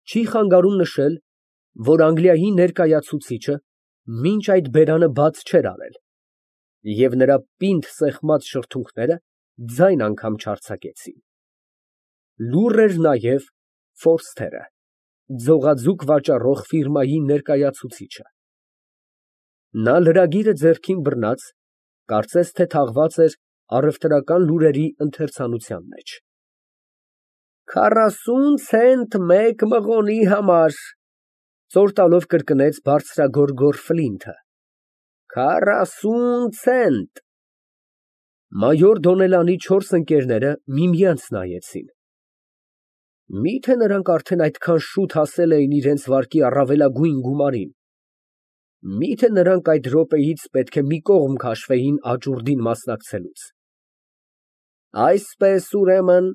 Չի խանգարում նշել, որ Անգլիայի ներկայացուցիչը մինչ այդ բերանը բաց չէր արել, և նրա պինդ սեղմած շրթունքները ձայն անգամ չարձակեցին։ Լուռ էր նաև Ֆորսթերը, ձողաձուկ վաճառող ֆիրմայի ներկայացուցիչը։ Նա լրագիրը ձեռքին բռնած, կարծես թե թաղված էր առևտրական լուրերի ընթերցանության մեջ։ 40 ցենտ մեկ մղոնի համար, ծոր տալով կրկնեց բարձրագորգոր Ֆլինթը։ 40 ցենտ։ Մայոր Դոնելանի չորս ընկերները միմյանց նայեցին։ Մի՞թե նրանք արդեն այդքան շուտ հասել էին իրենց վարկի առավելագույն գումարին։ Մի՞թե նրանք այդ րոպեից պետք է մի կողմ քաշվեին աճուրդին մասնակցելուց։ Այսպես, ուրեմն,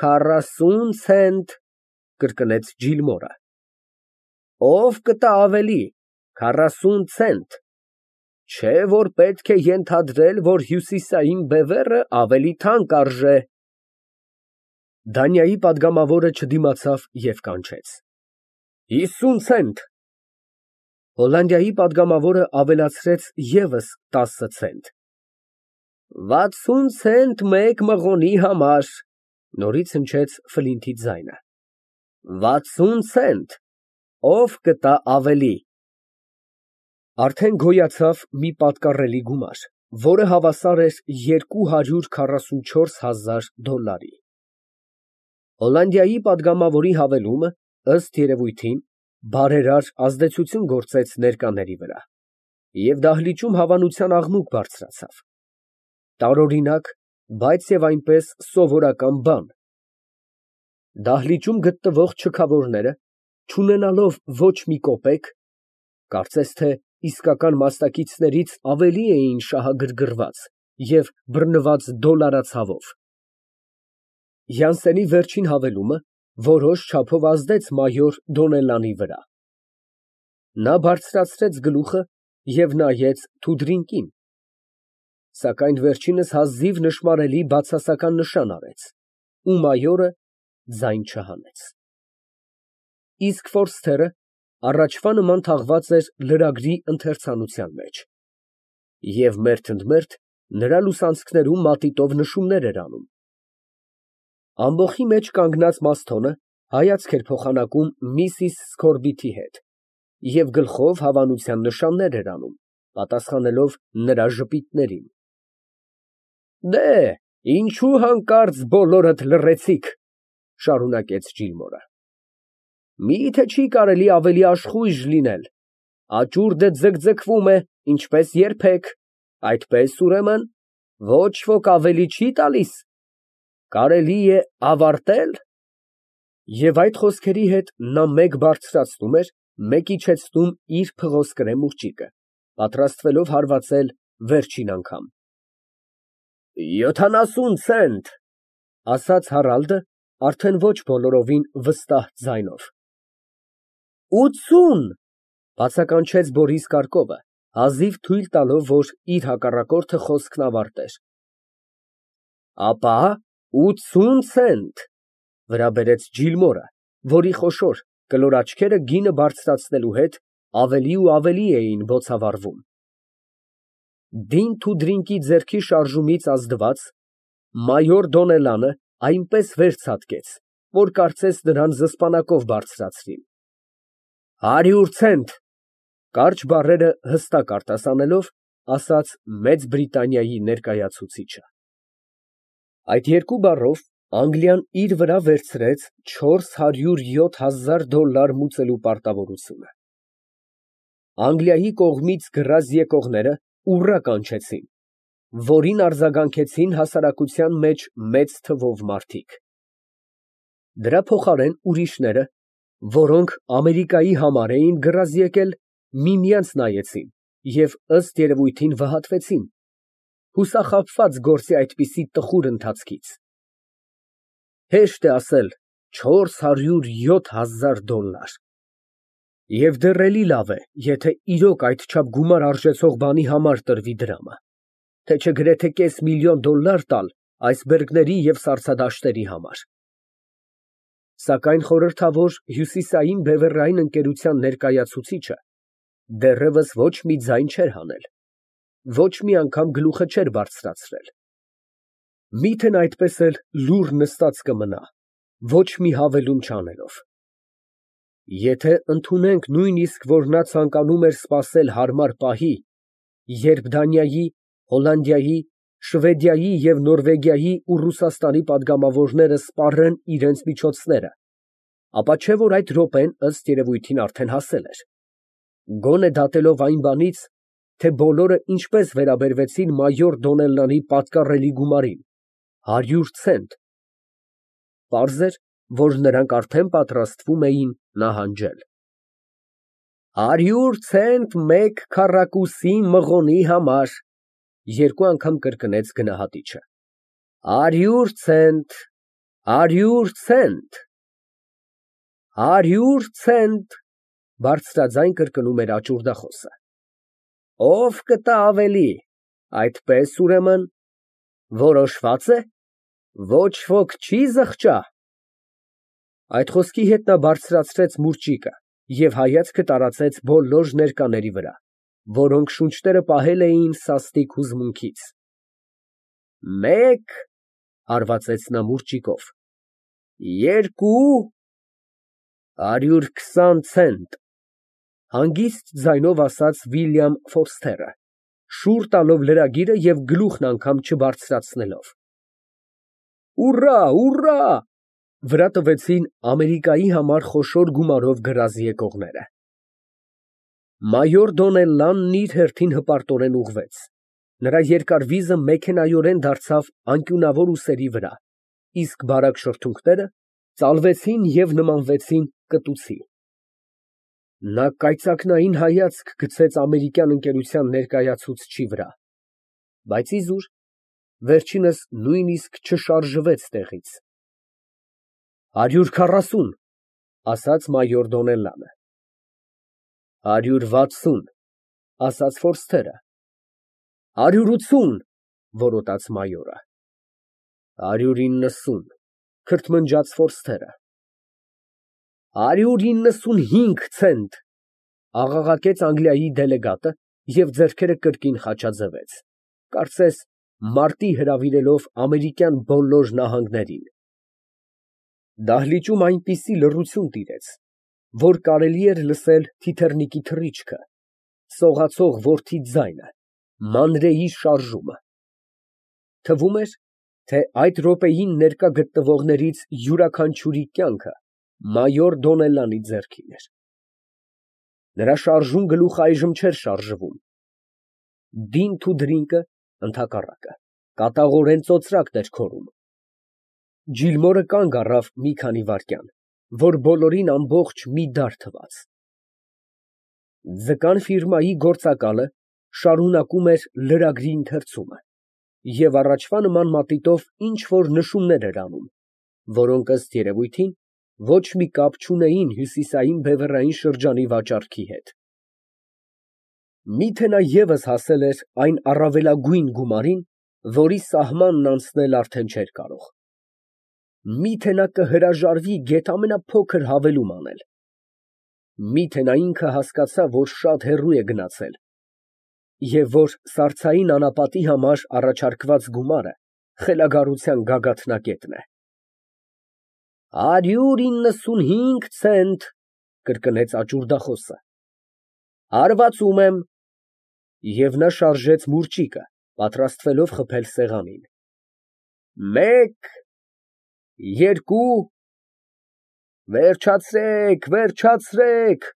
40 ցենտ, կրկնեց Ջիլմորը։ Ով կտա ավելի, 40 ցենտ։ Չէ՞ որ պետք է ենթադրել, որ հյուսիսային բևեռը ավելի թանկ արժե։ Դանիայի պատգամավորը չդիմացավ և կանչեց. 50 ցենտ։ Հոլանդիայի պատգամավորը ավելացրեց ևս 10 ցենտ։ 60 ցենտ մեկ մղոնի համար, նորից հնչեց Ֆլինթի ձայնը։ 60 ցենտ, ով կտա ավելի։ Արդեն գոյացավ մի պատկառելի գումար, որը հավասար էր $244,000։ Հոլանդիայի պատգամավորի հավելումը, ըստ երևույթին, բարերար ազդեցություն գործեց ներկաների վրա, և դահլիճում հավանության աղմուկ բարձրացավ։ Տարօրինակ, բայց և այնպես սովորական բան։ Դահլիճում գտնվող չքավորները, չունենալով ոչ մի կոպեկ, կարծես թե իսկական մասնակիցներից ավելի էին շահագրգռված և բռնված դոլարացավով։ Յանսենի վերջին հավելումը որոշ չափով ազդեց մայոր Դոնելանի վրա։ Նա բարձրացրեց գլուխը և նայեց Թուդրինկին, սակայն վերջինս հազիվ նշմարելի բացասական նշան արեց, ու մայորը ձայն չհանեց։ Իսկ Ֆորսթերը առաջվա նման թաղված էր լրագրի ընթերցանության մեջ, և մերթընդմերթ նրա լուսանցքներում մատիտով նշումներ էր անում։ Ամբոխի մեջ կանգնած Մասթոնը հայացք էր փոխանակում միսիս Սքորբիթի հետ և գլխով հավանության նշաններ էր անում, պատասխանելով նրա ժպիտներին։ Դե, ինչու հանկարծ բոլորդ լռեցիք, շարունակեց Ջիլմորը։ Մի՞թե չի կարելի ավելի աշխույժ լինել։ Աճուրդը ձգձգվում է, ինչպես երբեք, այդպես, ուրեմն, ոչ ոք ավելի չի տալիս։ Կարելի է ավարտել։ Եվ այդ խոսքերի հետ նա մեկ բարձրացնում էր, մեկ իջեցնում իր փղոսկրե մուղջիկը, պատրաստվելով հարվածել վերջին անգամ։ 70 ցենտ, ասաց Հարալդը, արդեն ոչ բոլորովին վստահ ձայնով։ 80, բացականչեց Բորիս Կարկովը, հազիվ թույլ տալով, որ իր հակառակորդը խոսքն ավարտեր։ Ապա 80 ցենտ, վրա բերեց Ջիլմորը, որի խոշոր, կլոր աչքերը գինը բարձրացնելու հետ ավելի ու ավելի էին բոցավառվում։ Դին Թուդրինկի ձեռքի շարժումից ազդված, մայոր Դոնելանը այնպես վեր ցատկեց, որ կարծես նրան զսպանակով բարձրացրին։ 100 ցենտ, կարճ բառերը հստակ արտասանելով, ասաց Մեծ Բրիտանիայի ներկայացուցիչը։ Այդ երկու բառով Անգլիան իր վրա վերցրեց $407,000 մուծելու պարտավորությունը։ Անգլիայի կողմից գրազ եկողները ուռա կանչեցին, որին արձագանքեցին հասարակության մեջ մեծ թվով մարդիկ։ Դրա փոխարեն ուրիշները, որոնք Ամերիկայի համար էին գրազ եկել, միմյանց նայեցին և ըստ երևույթին վհատվեցին, հուսախաբված գործի այդպիսի տխուր ընթացքից։ Հեշտ է ասել $407,000, և դեռ էլի լավ է, եթե իրոք այդչափ գումար արժեցող բանի համար տրվի դրամը, թե չէ գրեթե $500,000 տալ այսբերգների և սառցադաշտերի համար։ Սակայն խորհրդավոր հյուսիսային բևեռային ընկերության ներկայացուցիչը դեռևս ոչ մի ձայն չէր հանել, ոչ մի անգամ գլուխը չէր բարձրացրել։ Միթն այդպես էլ լուռ նստած կմնա, ոչ մի հավելում չանելով։ Եթե ընդունենք նույնիսկ, որ նա ցանկանում էր սպասել հարմար պահի, երբ Դանիայի, Հոլանդիայի, Շվեդիայի և Նորվեգիայի ու Ռուսաստանի պատգամավորները սպառեն իրենց միջոցները, ապա չէ՞ որ այդ րոպեն ըստ երևույթին արդեն հասել էր, գոնե դատելով այն բանից, թե բոլորը ինչպես վերաբերվեցին մայոր Դոնելլանի պատկառելի գումարին, 100 ցենտ, պարզ էր, որ նրանք արդեն պատրաստվում էին նահանջել։ 100 ցենտ մեկ քառակուսի մղոնի համար, երկու անգամ կրկնեց գնահատիչը։ 100 ցենտ, 100 ցենտ, 100 ցենտ, բարձրաձայն կրկնում էր աճուրդախոսը։ Ով կտա ավելի, այդպես ուրեմն, որոշվա՞ծ է, ոչ ոք չի զղջա։ Այդ խոսքի հետ նա բարձրացրեց մուրճիկը և հայացքը տարածեց բոլոր ներկաների վրա, որոնք շունչները պահել էին սաստիկ հուզմունքից։ Մեկ, հարվածեց նա մուրճիկով, երկու, 120 ցենտ, հանգիստ ձայնով ասաց Վիլյամ Ֆորսթերը, շուռ տալով լրագիրը և գլուխն անգամ չբարձրացնելով։ Ուռա, ուռա, վրա տվեցին Ամերիկայի համար խոշոր գումարով գրազ եկողները։ Մայոր Դոնելլանն իր հերթին հպարտորեն ուղղվեց։ Նրա երկար վիզը մեքենայորեն դարձավ անկյունավոր ուսերի վրա, իսկ բարակ շրթունքները ծալվեցին և նմանվեցին կտուցի։ Նա կայծակնային հայացք գցեց ամերիկյան ընկերության ներկայացուցչի վրա, բայց իզուր, վերջինս նույնիսկ չշարժվեց տեղից։ 140, ասաց մայոր Դոնելլանը։ 160, ասաց Ֆորսթերը։ 180, որոտաց մայորը։ 190, քրթմնջաց Ֆորսթերը։ 195 ցենտ, աղաղակեց Անգլիայի դելեգատը և ձեռքերը կրկին խաչաձևեց, կարծես մարտի հրավիրելով ամերիկյան բոլոր նահանգներին։ Դահլիճում այնպիսի լռություն տիրեց, որ կարելի էր լսել թիթեռնիկի թռիչքը, սողացող որդի ձայնը, մանրեի շարժումը։ Թվում էր, թե այդ րոպեին ներկա գտնվողներից յուրաքանչյուրի կյանքը մայոր Դոնելլանի ձեռքին էր։ Նրա շարժուն գլուխը այժմ չէր շարժվում։ Դինթ ու դրինկը, ընդհակառակը, կատաղորեն ծոծրակն էր քորում։ Ջիլմորը կանգ առավ մի քանի վայրկյան, որ բոլորին ամբողջ մի դար թվաց։ Ձկան ֆիրմայի գործակալը շարունակում էր լրագրի ընթերցումը և առաջվա նման մատիտով ինչ֊որ նշումներ էր անում, որոնք ըստ երևույթին ոչ մի կապ չունեին հյուսիսային բևեռային շրջանի վաճառքի հետ։ Միթե նա ևս հասել էր այն առավելագույն գումարին, որի սահմանն անցնել արդեն չէր կարող։ Միթե նա կհրաժարվի գեթ ամենափոքր հավելում անել։ Միթե նա ինքը հասկացա, որ շատ հեռու է գնացել և որ սառցային անապատի համար առաջարկված գումարը խելագարության գագաթնակետն է։ 195 ցենտ, կրկնեց աճուրդախոսը։ Հարվածում եմ։ Եվ նա շարժեց մուրճիկը, պատրաստվելով խփել սեղանին։ Մեկ, երկու, վերջացրեք, վերջացրեք,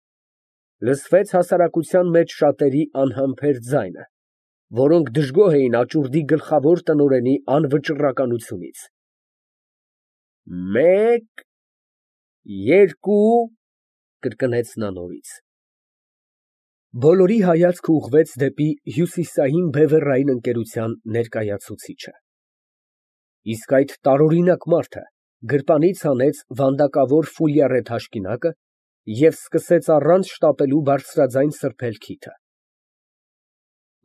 լսվեց հասարակության մեջ շատերի անհամբեր ձայնը, որոնք դժգոհ էին աճուրդի գլխավոր տնօրենի անվճռականությունից։ Մեկ, երկու, կրկնեց նա նորից։ Բոլորի հայացքը ուղղվեց դեպի հյուսիսային բևեռային ընկերության ներկայացուցիչը։ Իսկ այդ տարօրինակ մարդը գրպանից հանեց վանդակավոր ֆուլյարե թաշկինակը և սկսեց առանց շտապելու բարձրաձայն սրբել քիթը։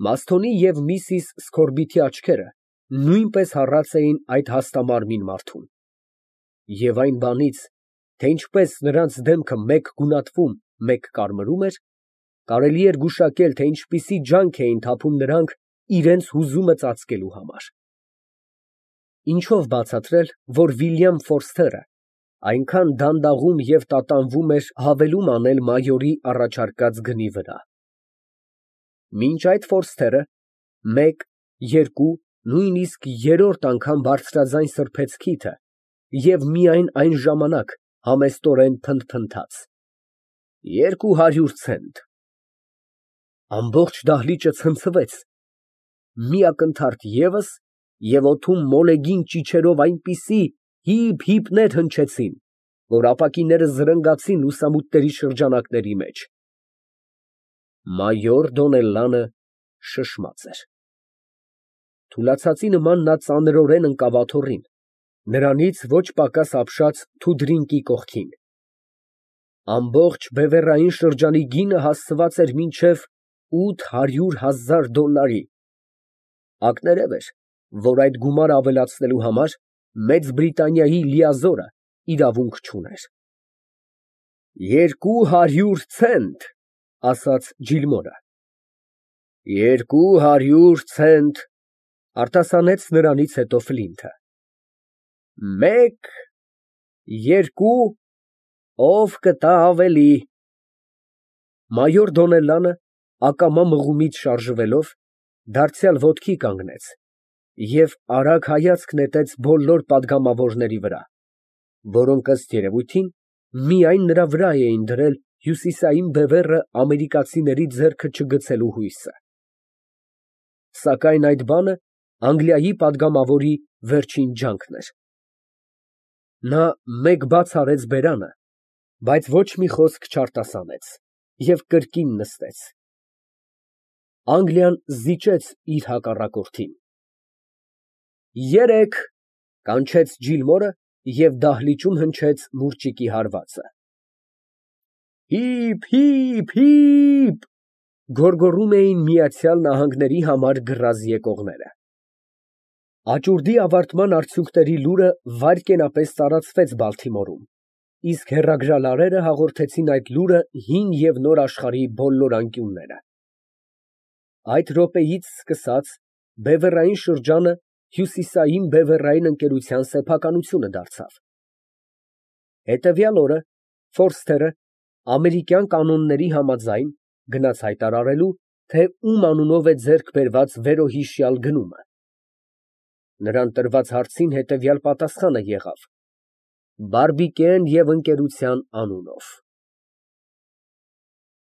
Մասթոնի և միսիս Սքորբիթի աչքերը նույնպես հառած էին այդ հաստամարմին մարդուն։ Եվ այն բանից, թե ինչպես նրանց դեմքը մեկ գունատվում, մեկ կարմրում էր, կարելի էր գուշակել, թե ինչպիսի ջանք էին թափում նրանք իրենց հուզումը ծածկելու համար։ Ինչով բացատրել, որ Վիլյամ Ֆորսթերը այնքան դանդաղում և տատանվում էր հավելում անել մայորի առաջարկած գնի վրա։ Մինչ այդ Ֆորսթերը մեկ, երկու, նույնիսկ երրորդ անգամ բարձրաձայն սրբեց քիթը և միայն այն ժամանակ համեստորեն փնթփնթաց. 200 ցենտ։ Ամբողջ դահլիճը ցնցվեց, մի ակնթարթ ևս, և օդում մոլեգին ճիչերով այնպիսի հիփ֊հիփներ հնչեցին, որ ապակիները զրնգացին լուսամուտների շրջանակների մեջ։ Մայոր Դոնելլանը շշմած էր։ Թուլացածի նման նա ծանրորեն ընկավ աթոռին, նրանից ոչ պակաս ապշած թուդրինկի կողքին։ Ամբողջ բևեռային շրջանի գինը հասցված էր մինչև $800,000։ Ակներև էր, որ այդ գումարը ավելացնելու համար Մեծ Բրիտանիայի լիազորը իրավունք չուներ։ 200 ցենտ, ասաց Ջիլմորը։ 200 ցենտ, արտասանեց նրանից հետո Ֆլինթը։ Մեկ, երկու, ով կտա ավելի։ Մայոր Դոնելլանը ակամա մղումից շարժվելով դարձյալ ոտքի կանգնեց և արագ հայացք նետեց բոլոր պատգամավորների վրա, որոնք ըստ երևույթին միայն նրա վրա էին դրել հյուսիսային բևեռը ամերիկացիների ձեռքը չգցելու հույսը։ Սակայն այդ բանը Անգլիայի պատգամավորի վերջին ջանքն էր։ Նա մեկ բաց արեց բերանը, բայց ոչ մի խոսք չարտասանեց և կրկին նստեց։ Անգլիան զիջեց իր հակառակորդին։ 3, կանչեց Ջիլմորը և դահլիճում հնչեց մուրճիկի հարվածը։ Հիփ, հիփ, հիփ, գոռգոռում էին Միացյալ Նահանգների համար գրազ եկողները։ Աճուրդի ավարտման արդյունքների լուրը վայրկենապես տարածվեց Բալթիմորում, իսկ հեռագրալարերը հաղորդեցին այդ լուրը հին և նոր աշխարհի բոլոր անկյունները։ Այդ րոպեից սկսած բևեռային շրջանը Հյուսիսային բևեռային ընկերության սեփականությունը դարձավ։ Հետևյալ օրը Ֆորսթերը ամերիկյան կանոնների համաձայն գնաց հայտարարելու, թե ում անունով է ձեռք բերված վերոհիշյալ գնումը։ Նրան տրված հարցին հետևյալ պատասխանը եղավ. Բարբիկեն և ընկերության անունով։